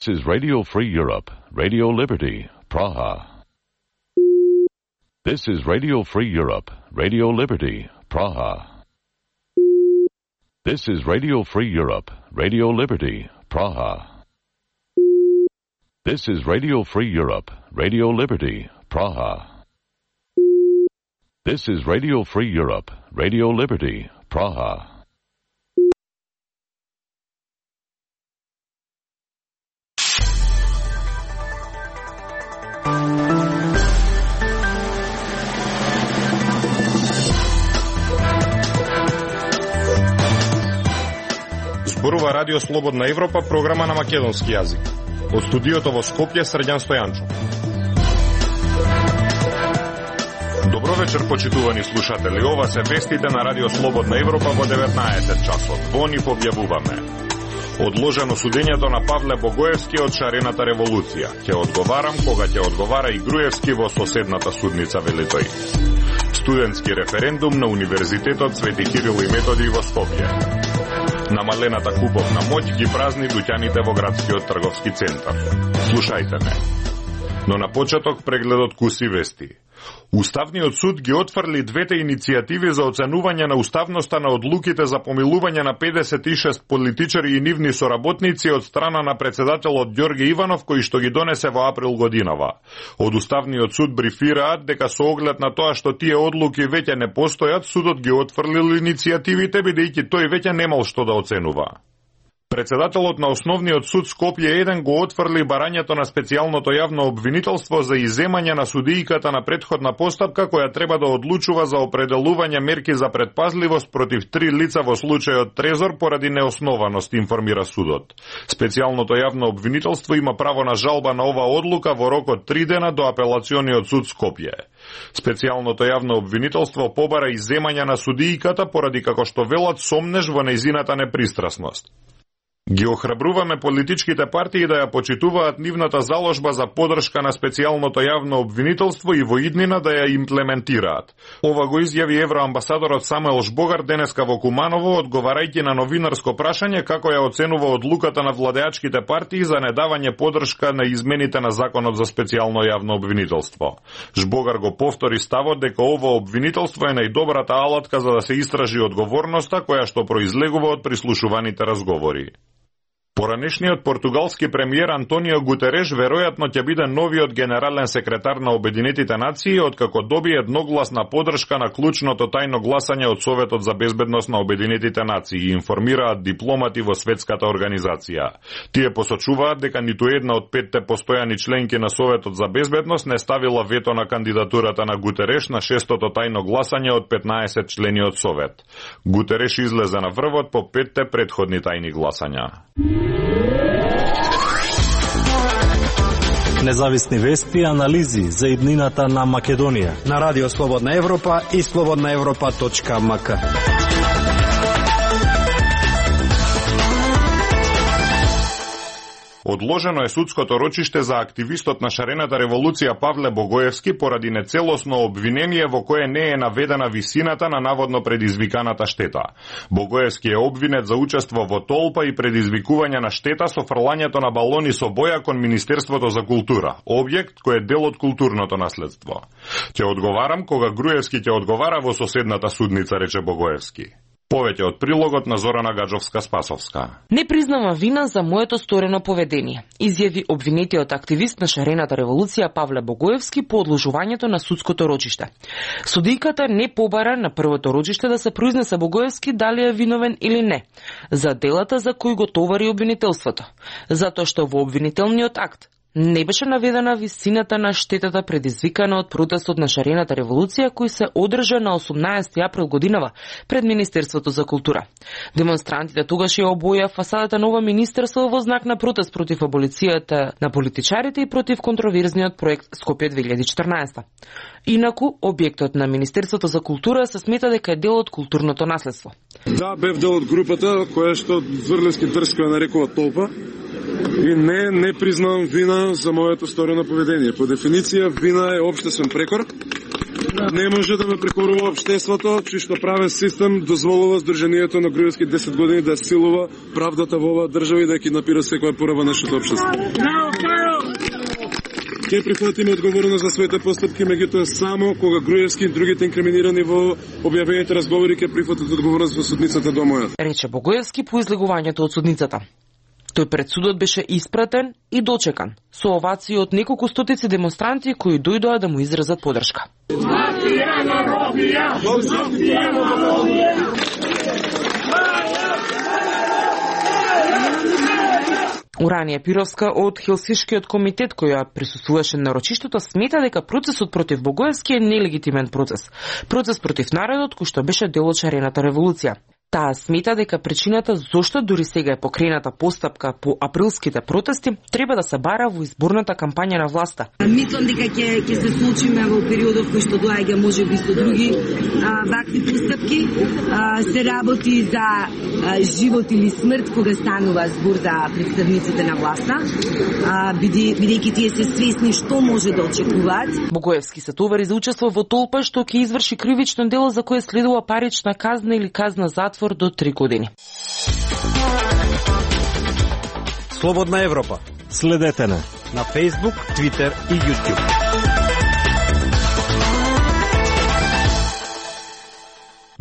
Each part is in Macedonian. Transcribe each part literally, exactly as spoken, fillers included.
This is Radio Free Europe, Radio Liberty, Praha. This is Radio Free Europe, Radio Liberty, Praha. This is Radio Free Europe, Radio Liberty, Praha. This is Radio Free Europe, Radio Liberty, Praha. This is Radio Free Europe, Radio Liberty, Praha. Зборува Радио Слободна Европа, програма на македонски јазик. Од студиото во Скопје, Срđan Стојанчо. Добро вечер, почитувани слушатели. Ова се вестите на Радио Слободна Европа во деветнаесет часот. Во нив објавуваме: одложено судењето на Павле Богоевски од шарената револуција. Ќе одговарам кога ќе одговара и Груевски во соседната судница, вели тој. Студентски референдум на Универзитетот Свети Кирил и Методи во Скопје. Намалената куповна моќ ги празни дуќаните во градскиот трговски центар. Слушајте ме. Но на почеток прегледот куси вести. Уставниот суд ги отфрли двете иницијативи за оценување на уставноста на одлуките за помилување на педесет и шест политичари и нивни соработници од страна на председателот Ѓорге Иванов, кој што ги донесе во април годинава. Од Уставниот суд брифираат дека со оглед на тоа што тие одлуки веќе не постојат, судот ги отфрлил иницијативите, бидејќи тој веќе немал што да оценува. Председателот на Основниот суд Скопје еден го отфрли барањето на специјалното јавно обвинителство за иземање на судијката на претходна постапка, која треба да одлучува за определување мерки за предпазливост против три лица во случајот Трезор поради неоснованост, информира судот. Специјалното јавно обвинителство има право на жалба на ова одлука во рок од три дена до Апелациониот суд Скопје. Специјалното јавно обвинителство побара иземање на судијката поради, како што велат, сомнеж во нејзината непристрасност. Ги охрабруваме политичките партии да ја почитуваат нивната заложба за поддршка на специјалното јавно обвинителство и во иднина да ја имплементираат. Ова го изјави евроамбасадорот Самуел Жбогар денеска во Куманово, одговарајќи на новинарско прашање како ја оценува одлуката на владеачките партии за недавање поддршка на измените на законот за специјално јавно обвинителство. Жбогар го повтори ставот дека ова обвинителство е најдобрата алатка за да се истражи одговорноста која што произлегува од прислушуваните разговори. Поранешниот португалски премиер Антонио Гутереш веројатно ќе биде новиот генерален секретар на Обединетите нации откако доби едногласна поддршка на клучното тајно гласање од Советот за безбедност на Обединетите нации, информираат дипломати во светската организација. Тие посочуваат дека ниту една од петте постојани членки на Советот за безбедност не ставила вето на кандидатурата на Гутереш на шестото тајно гласање од петнаесет члени од Совет. Гутереш излезе на врвот по петте претходни тајни гласања. Независни вести и анализи за иднината на Македонија на Радио Слободна Европа и слободна европа точка ем ка. Одложено е судското рочиште за активистот на шарената револуција Павле Богоевски поради нецелосно обвинение во кое не е наведена висината на наводно предизвиканата штета. Богоевски е обвинет за учество во толпа и предизвикување на штета со фрлањето на балони со боја кон Министерството за култура, објект кој е дел од културното наследство. Ќе одговарам кога Груевски ќе одговара во соседната судница, рече Богоевски. Повеќе од прилогот на Зорана Гаджовска-Спасовска. Не признава вина за моето сторено поведение, изјави обвинетиот активист на шарената револуција Павле Богоевски по одложувањето на судското рочиште. Судијката не побара на првото рочиште да се произнесе Богоевски дали е виновен или не, за делата за кои го товари обвинителството, затоа што во обвинителниот акт не беше наведена висината на штетата предизвикана од протестот на шарената револуција кој се одржа на осумнаесети април годинава пред Министерството за култура. Демонстрантите тогаш ја обоја фасадата на ова министерство во знак на протест против аболицијата на политичарите и против контроверзниот проект Скопје две илјади и четрнаесета. Инаку, објектот на Министерството за култура се смета дека е дел од културното наследство. Да, бев дел од групата која што Зврлевски дрско ја нарекува толпа. И не, не признавам вина за моето сторено поведение. По дефиниција, вина е општествен прекор не може да ме прекорува општеството, чиј што правен систем дозволува Сдруженијето на Груевски десет години да силува правдата во оваа држава и да ќе напира секоја пореба нашето општество. Ќе прифатиме одговорност за своите постапки, меѓутоа само кога Груевски и другите инкриминирани во објавените разговори ќе прифатат одговорност во судницата до мојот. Рече Богоевски по излегувањето од судницата. Тој пред судот беше испратен и дочекан со овации од неколку стотици демонстранти кои дојдоа да му изразат поддршка. Уранија Пировска од Хелсиншкиот комитет која присуствуваше на рочиштето смета дека процесот против Богоевски е нелегитимен процес. Процес против народот кој што беше дел од шарената револуција. Таа смета дека причината зошто дури сега е покрената постапка по априлските протести треба да се бара во изборната кампања на власта. Мислам дека ќе ќе се случиме во периодот кој што доаѓа можеби со други а, вакви постапки. А, се работи за а, живот или смрт кога станува збор за представниците на власта. А, биде, бидејќи тие се свесни што може да очекуваат. Богоевски се товари за учество во толпа што ќе изврши кривично дело за кое следува парична казна или казна затвор до три години. Слободна Европа. Следете на на Facebook, Twitter и YouTube.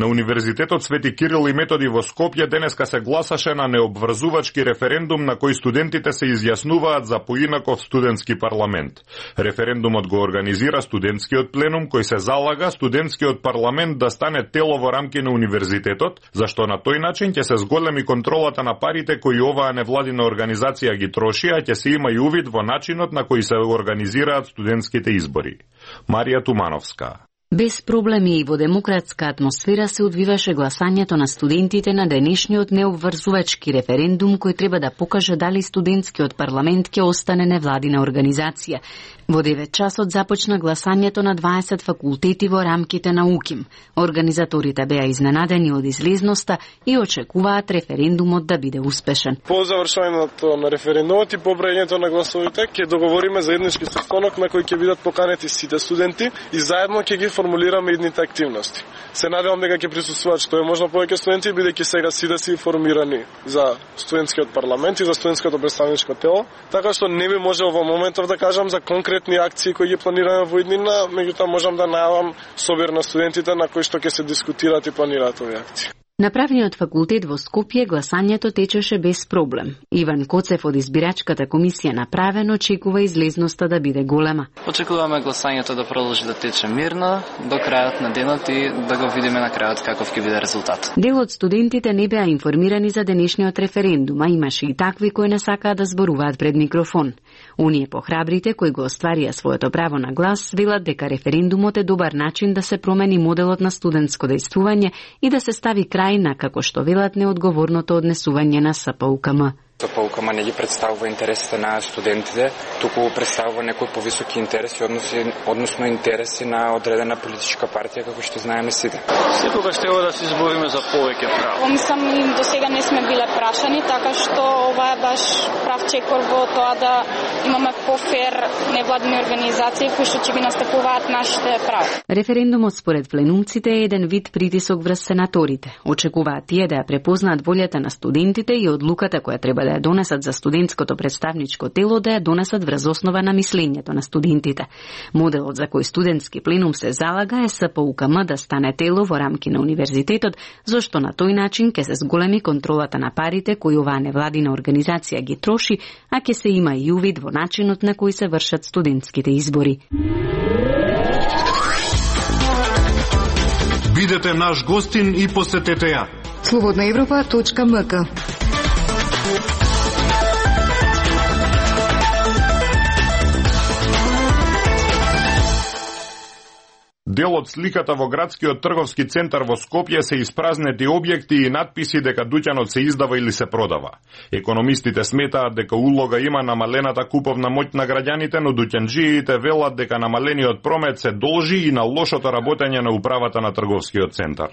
На Универзитетот Свети Кирил и Методи во Скопје денеска се гласаше на необврзувачки референдум на кој студентите се изјаснуваат за поинаков студентски парламент. Референдумот го организира студентскиот пленум кој се залага студентскиот парламент да стане тело во рамки на универзитетот, зашто на тој начин ќе се зголеми контролата на парите кои оваа невладина организација ги троши, а ќе се има и увид во начинот на кој се организираат студентските избори. Марија Тумановска. Без проблеми и во демократска атмосфера се одвиваше гласањето на студентите на денешниот необврзувачки референдум кој треба да покаже дали студентскиот парламент ќе остане невладина организација. Во девет часот започна гласањето на дваесет факултети во рамките на УКИМ. Организаторите беа изненадени од излезноста и очекуваат референдумот да биде успешен. По завршувањето на референдумот и по броењето на гласовите ќе договориме заеднички состанок на кој ќе бидат поканети сите студенти и заедно ќе ги формулираме идните активности. Се надевам дека ќе присуствуваат што е можно повеќе студенти, бидејќи сега сите се информирани за студентскиот парламент и за студентското представничко тело, така што не би можел во моментов да кажам за конкретни акции кои ги планираме во иднина, меѓутоа можам да најавам собир на студентите на кои што ќе се дискутираат и планираат овие акции. На правниот факултет во Скопје гласањето течеше без проблем. Иван Коцев од избирачката комисија направено очекува излезноста да биде голема. Очекуваме гласањето да продолжи да тече мирно до крајот на денот и да го видиме на крајот каков ќе биде резултат. Дел од студентите не беа информирани за денешниот референдум, а имаше и такви кои не сакаат да зборуваат пред микрофон. Оние похрабрите кои го остварија своето право на глас велат дека референдумот е добар начин да се промени моделот на студентско дејствување и да се стави крај на, како што велат, неодговорното однесување на С П У К М. С П У К М не ги представува интересите на студентите, туку представува некои повисоки интереси, односи, односно интереси на одредена политичка партија, како што знаеме сите. Секогаш треба да се избориме за повеќе права. Мислам, до сега не сме биле прашани, така што ова е баш прав чекор во тоа да имаме по-фер невладини организации кои што ќе ги настапуваат нашите права. Референдумот според пленумците е еден вид притисок врз сенаторите. Очекуваат тие да ја препознаат волјата на студентите и одлуката која треба да ја донесат за студентското представничко тело да ја донесат врз основа на мислењето на студентите. Моделот за кој студентски пленум се залага е С П У К М да стане тело во рамки на универзитетот, зашто на тој начин ќе се зголеми контролата на парите кои оваа невладина организација ги троши, а ќе се има и увид во начинот на кој се вршат студентските избори. Бидете наш гостин и посетете ја. слободна европа точка м к. Дел од сликата во градскиот трговски центар во Скопје се испразнети објекти и надписи дека дуќанот се издава или се продава. Економистите сметаат дека улога има намалената куповна моќ на граѓаните, но дуќанџиите велат дека намалениот промет се должи и на лошото работење на управата на трговскиот центар.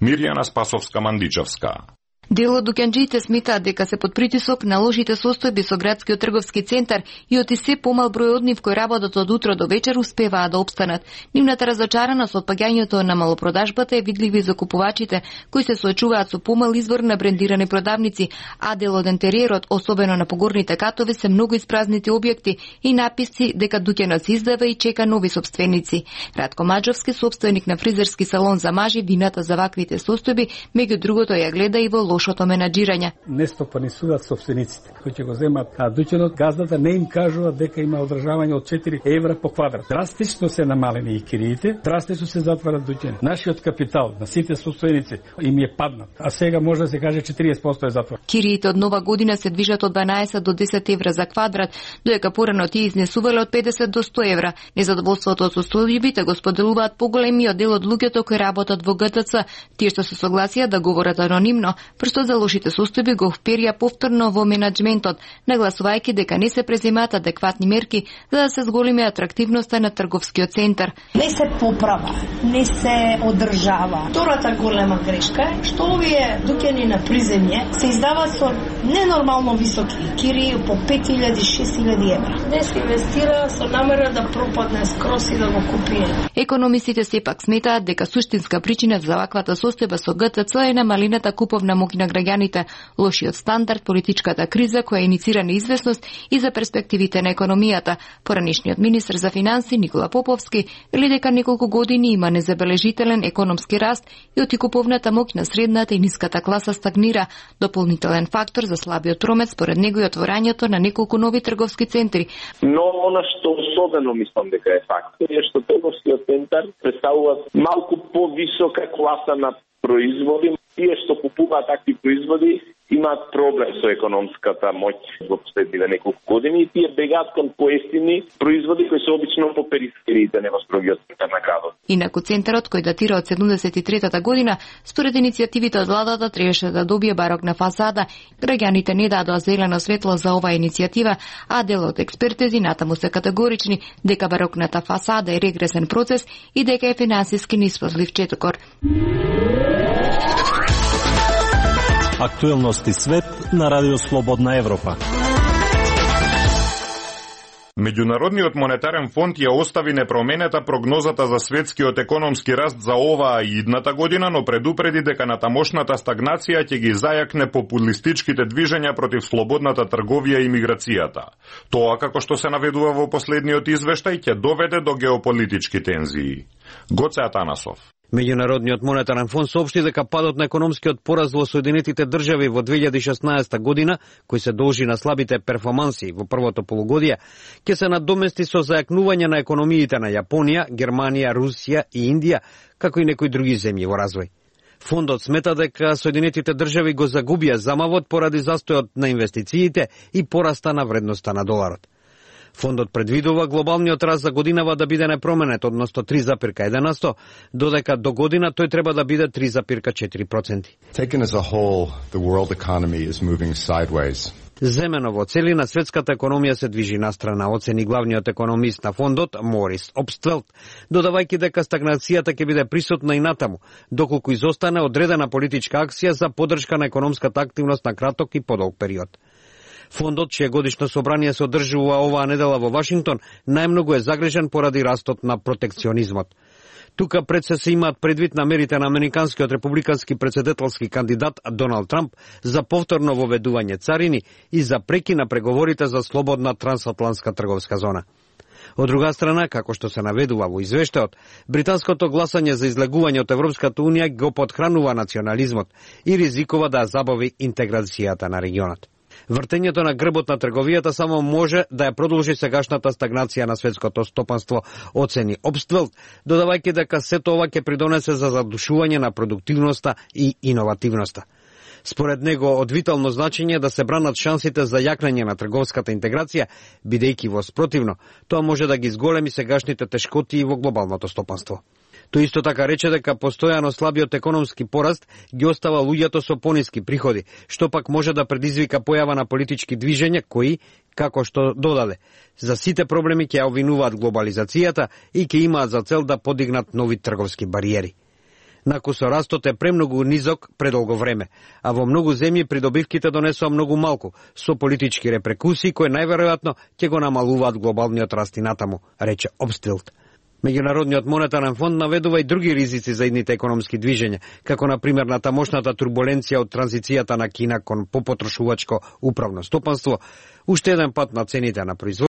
Мирјана Спасовска-Мандичевска. Дел од дуќанџиите сметаат дека се под притисок на лошите состојби со градскиот трговски центар и од и се помал број од нив кои работат од утро до вечер успеваат да опстанат. Нивната разочараност од паѓањето на малопродажбата е видливи за купувачите кои се соочуваат со помал извор на брендирани продавници, а дел од интериерот, особено на погорните катови, се многу испразнити објекти и написци дека дуќанот се издава и чека нови сопственици. Радко Маџовски, сопственик на фризерски салон за мажи, вината за ваквите состојби, меѓу другото ја гледа и во лошото менаџирање. Не стопанисуваат сопствениците кои ќе го земат, а дуќанот, газдата не им кажува дека има одржавање од четири евра по квадрат. Драстично се намалени и кириите, драстично се затварат дуќани. Нашиот капитал на сите сопственици им е паднат, а сега може да се каже четириесет проценти е затвор. Кириите од нова година се движат од дванаесет до десет евра за квадрат, додека порано тие изнесувале од педесет до сто евра. Незадоволството од состојбите го споделуваат поголемиот дел од луѓето кои работат во ге те це. Тие што се согласија да говорат анонимно, прстот за лошите состојби го вперија повторно во менаџментот, нагласувајќи дека не се преземаат адекватни мерки за да се зголеми атрактивноста на трговскиот центар. Не се поправа, не се одржава. Втората голема грешка е што овие дуќани на приземје се издаваат со ненормално високи кири по пет илјади шест илјади евра. Не се инвестира со намера да пропадне скрос и да го купи. Економистите сепак сметаат дека суштинска причина за ваквата состојба со ге те це е намалената куповна моќ на граѓаните, лошиот стандард, политичката криза која иницира неизвестност и за перспективите на економијата. Поранишниот министер за финанси Никола Поповски вели дека неколку години има незабележителен економски раст и оти куповната моќ на средната и ниската класа стагнира. Дополнителен фактор за слабиот промет според него е отворањето на неколку нови трговски центри. Но она што особено мислам дека е фактор е што трговскиот центар представува малку повисока класа на производи. Тие што купуваат такви производи имаат проблем со економската моќ во последниве неколку години и тие бегаат кон поевтини производи кои се обично по перифериите, не во строгиот центар на градот. Инаку центарот, кој датира од седумдесет и третата година, според иницијативите од владата требаше да добие барокна фасада. Граѓаните не дадоа зелено светло за оваа иницијатива, а дел од експертези натаму се категорични дека барокната фасада е регресен процес и дека е финансиски нисплатлив четокор. Актуелности свет на Радио Слободна Европа. Меѓународниот монетарен фонд ја остави непроменета прогнозата за светскиот економски раст за оваа и идната година, но предупреди дека натамошната стагнација ќе ги зајакне популистичките движења против слободната трговија и миграцијата. Тоа, како што се наведува во последниот извештај, ќе доведе до геополитички тензии. Гоце Атанасов. Меѓународниот монетарен фонд соопшти дека падот на економскиот пораз во Соединетите држави во две илјади и шеснаесета година, кој се должи на слабите перформанси во првото полугодие, ќе се надомести со зајакнување на економиите на Јапонија, Германија, Русија и Индија, како и некои други земји во развој. Фондот смета дека Соединетите држави го загубија замавот поради застојот на инвестициите и пораста на вредноста на доларот. Фондот предвидува глобалниот раст за годинава да биде непроменет, односно три зарез еден на сто, додека до година тој треба да биде три зарез четири проценти. Taken as a whole, the world economy is moving sideways. Земено во целина светската економија се движи настрана, оцени главниот економист на фондот Морис Обствелт, додавајќи дека стагнацијата ќе биде присутна и натаму, доколку изостане одредена политичка акција за поддршка на економската активност на краток и подолг период. Фондот, чие годишно собрание се одржува оваа недела во Вашингтон, најмногу е загрижен поради растот на протекционизмот. Тука пред се се имаат предвид намерите на американскиот републикански претседателски кандидат Доналд Трамп за повторно воведување царини и за преки на преговорите за слободна трансатлантска трговска зона. Од друга страна, како што се наведува во извештајот, британското гласање за излегување од Европската унија го потхранува национализмот и ризикува да забави интеграцијата на регионот. Вртењето на грбот на трговијата само може да ја продолжи сегашната стагнација на светското стопанство, оцени Обствелт, додавајќи дека сето ова ќе придонесе за задушување на продуктивноста и иновативноста. Според него, од витално значење да се бранат шансите за јакнење на трговската интеграција, бидејќи во спротивно, тоа може да ги зголеми сегашните тешкоти во глобалното стопанство. Тој исто така рече дека постојано слабиот економски пораст ги остава луѓето со пониски приходи, што пак може да предизвика појава на политички движења кои, како што додаде, за сите проблеми ќе ја обвинуваат глобализацијата и ќе имаат за цел да подигнат нови трговски бариери. Нако со растот е премногу низок предолго време, а во многу земји придобивките донесоа многу малку, со политички репрекусии кои најверојатно ќе го намалуваат глобалниот раст и натаму, рече Обстилт. Меѓународниот монетарен фонд наведува и други ризици за идните економски движења, како на пример на тамошната турбуленција од транзицијата на Кина кон попотрошувачко управно стопанство, уште еден пат на цените на производство